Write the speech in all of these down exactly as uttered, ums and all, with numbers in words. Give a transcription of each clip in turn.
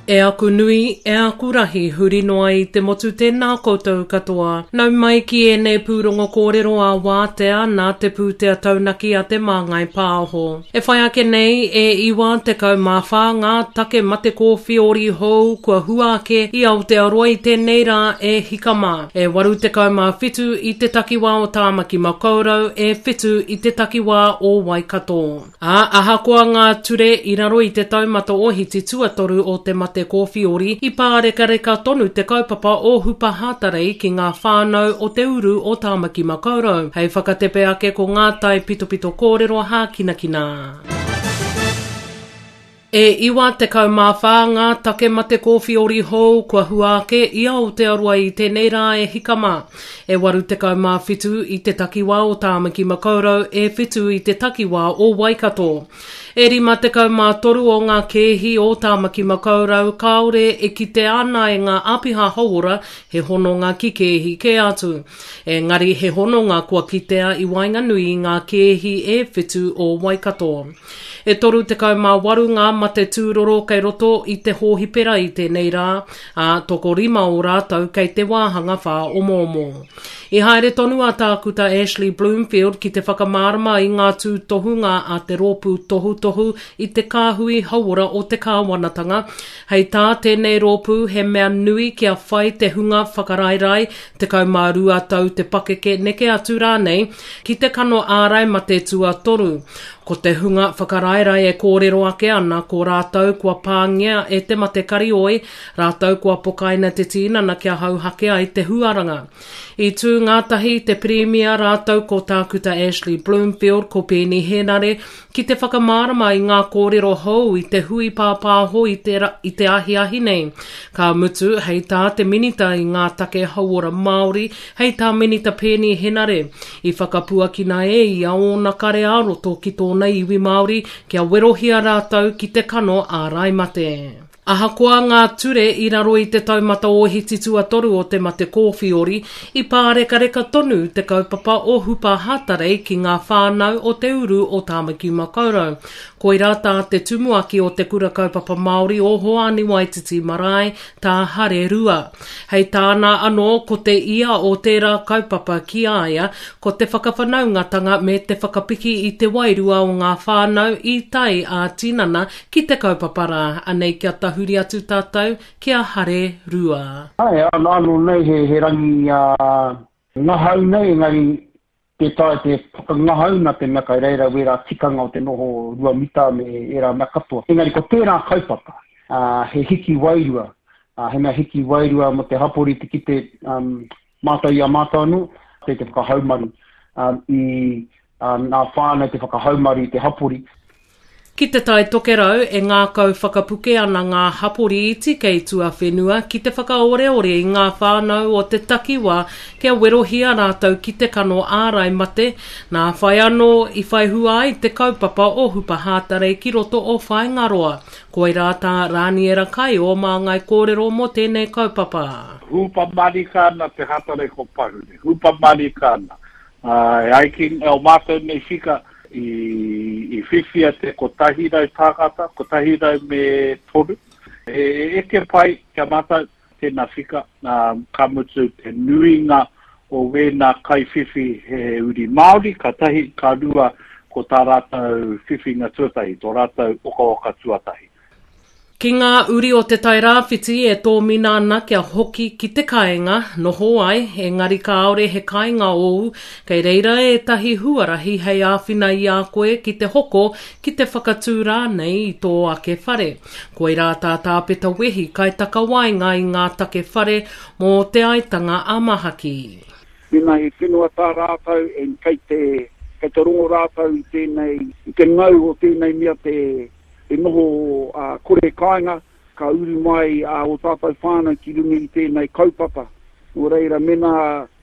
E aku nui, e aku rahi, huri noa i te motu tēnā koutou katoa. Nau mai ki ēnei pūrongo kōrero a wātea nā te pūtea taunaki a te Māngai Pāho. E whai ake nei, e iwa tekau mā whā ngā take mate kōwhiori hou kua hua ake i Aotearoa i tēnei rā e hika mā. E waru tekau mā whitu i te takiwā o Tāmaki Makaurau, e whitu i te takiwā o Waikato. Ā, ahakoa ngā ture i raro i te taumata ohiti tuatoru o te mate kōwhiori, i pārekareka tonu te kaupapa o Hupa Hātarei ki ngā whānau o te uru o Tāmaki Makaurau. Hei whakatepe ake ko ngā tai pitopito kōrero hākinakina. E iwa tekau mā whā ngā take mate kōwhiori hou kua hua ake i Aotearoa i tēnei rā e hika mā. E waru tekau mā whitu i te takiwā o Tāmaki Makaurau, e whitu i te takiwā o Waikato. E rima tekau mā toru o ngā kēhi o Tāmaki Makaurau kāore e kite ana e ngā āpiha hauora he hononga ki kēhi kē atu. Engari he hononga kua kitea i waenganui i ngā kēhi e whitu o Waikato. E toru tekau mā waru ngā mate tūroro kei roto i te hōhipera i tēnei rā, ā, tokorima o rātou kei te wāhanga whāomoomo. I haere tonu a Tākuta Ashley Bloomfield ki te whakamārama i ngā tūtohunga a te rōpū tohutohu i te kāhui hauora o te kāwanatanga. Hei tā tēnei rōpū he mea nui kia whai te hunga whakaraerae tekau mā rua tau te pakeke neke atu rānei ki te kano ārai mate tuatoru. Ko te hunga whakaraerae e kōrero ake ana ko rātou kua pāngia e te mate karioi, rātou kua pokaina te tīnana kia hauhake ai te huaranga. I tū ngātahi te Pirimia rātou ko Tākuta Ashley Bloomfield ko Peeni Henare ki te whakamārama i ngā kōrero hou i te hui pāpāho i te, i te ahiahi nei. Ka mutu, hei tā te minita i ngā take hauora Māori, hei tā Minita Peeni Henare, i whakapuakina e ia ōna kare ā-roto ki tōna iwi Māori kia werohia rātou ki te kano ārai mate. Ahakoa ngā ture i raro i te taumata ohiti tuatoru o te mate kōwhiori, i pārekareka tonu te kaupapa o Hupa Hātarei ki ngā whānau o te uru o Tāmaki Makaurau. Koirā tā te tumuaki o te kura kaupapa Māori o Hoani Waititi Marae, tā Hare Rua. Hei tāna anō ko te ia o tērā kaupapa ki a ia, ko te whakawhanaungatanga me te whakapiki i te wairua o ngā whānau i tae ā-tinana ki te kaupapa rā. Anei kia tahuri atu tātou ki a Hare Rua. Ai, anō nei he, he rangi uh, ngahau nei, engari te tae te whakangahau nā te mea kai reira wērā tikanga o te noho rua mita me ērā mea katoa. Engari ko tērā kaupapa, uh, he hiki wairua, uh, he mea hiki wairua mo te hapori te kite um, mātou i a mātou anō, te te whakahaumaru um, i uh, ngā whānau te whakahaumaru i te hapori. Ki te Tai Tokerau e ngākau whakapuke ana ngā hapori iti kei tuawhenua ki te whakaoreore i ngā whānau o te takiwā kia werohia rātou ki te kano ārai mate, nā whai anō i whai hua ai te kaupapa o Hupa Hātarei ki roto o Whāingaroa. Koirā tā Rāniera Kai o Māngai Kōrero mō tēnei kaupapa. Hupa marika ana te Hātarei ko Pahure. Hupa marika ana. Uh, e ai ki o mātou nei whika, i, i whiwhia te kotahi rau tāngata, kotahi rau me toru. E, e eke pai kia mātou tēnā whika, um, ka mutu te nuinga o wēnā kaiwhiwhi he uri Māori, ka tahi, ka rua ko tā rātou whiwhinga tuatahi, tō rātou okaoka tuatahi. Ki ngā uri o te Tairāwhiti e tōmina ana kia hoki ki te kāinga, noho ai, engari kāore he kāinga ōu, kei reira ētahi huarahi hei āwhina i a koe ki te hoko, ki te whakatū rānei i tō ake whare. Koirā tā Tāpeta Wehi kaitakawaenga i ngā take whare mō te aitanga a Mahaki. Mēnā he whenua tā rātou, en kei te, kei te rongo rātou i tēnei, i te ngau o tēnei mea te te noho uh, kore kāinga, ka uru mai uh, o tātou whānau ki runga i tēnei kaupapa. Nō reira, mena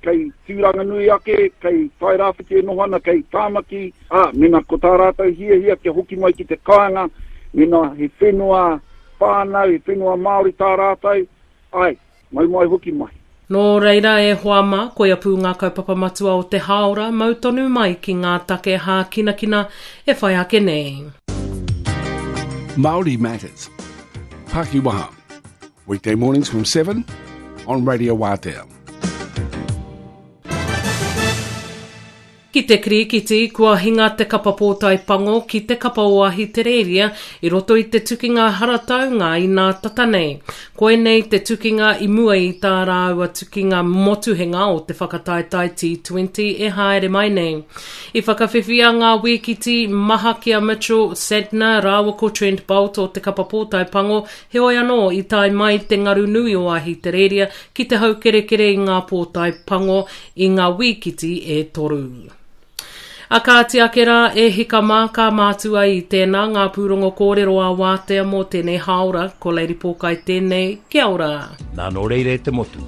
kei Tūranganui ake, kei Tairāwhiti e noho ana, kei Tāmaki, ā, mena ko tā rātou hiahia kia hoki mai ki te kāinga, mena he whenua whānau, he whenua Māori tā rātou, ai, mau mai hoki mai. Nō reira e hoa mā, koia pū ngā kaupapa matua o te hāora, mau tonu mai ki ngā take hākinakina e whai ake nei. Māori Matters. Pakiwaha. Weekday mornings from seven on Radio Waatea. Ki te kirikiti, kua hinga te kapa pōtae pango ki te kapa o Ahitereiria i roto i te tukinga harataunga i nā tata nei. Koinei te tukinga i mua i tā rāua tukinga motuhenga o te whakataetae T twenty e haere mai nei. I whakawhiwhia ngā wīkiti maha ki a Mitchell Santner rāua ko Trent Boult o te kapa pōtae pango, heoi anō i tae mai te ngaru nui o Ahitereiria ki te haukerekere i ngā pōtae pango i ngā wīkiti e toru. A kāti ake rā e hika mā ka mātua i tēnā ngā pūrongo kōrero a Wātea mō tēnei hāora, ko Lady Pōkai tēnei, kia ora. Nā nō reira e te motu,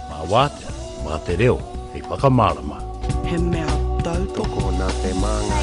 mā Wātea, mā te reo, hei whakamārama. He mea tautoko nā te māngai.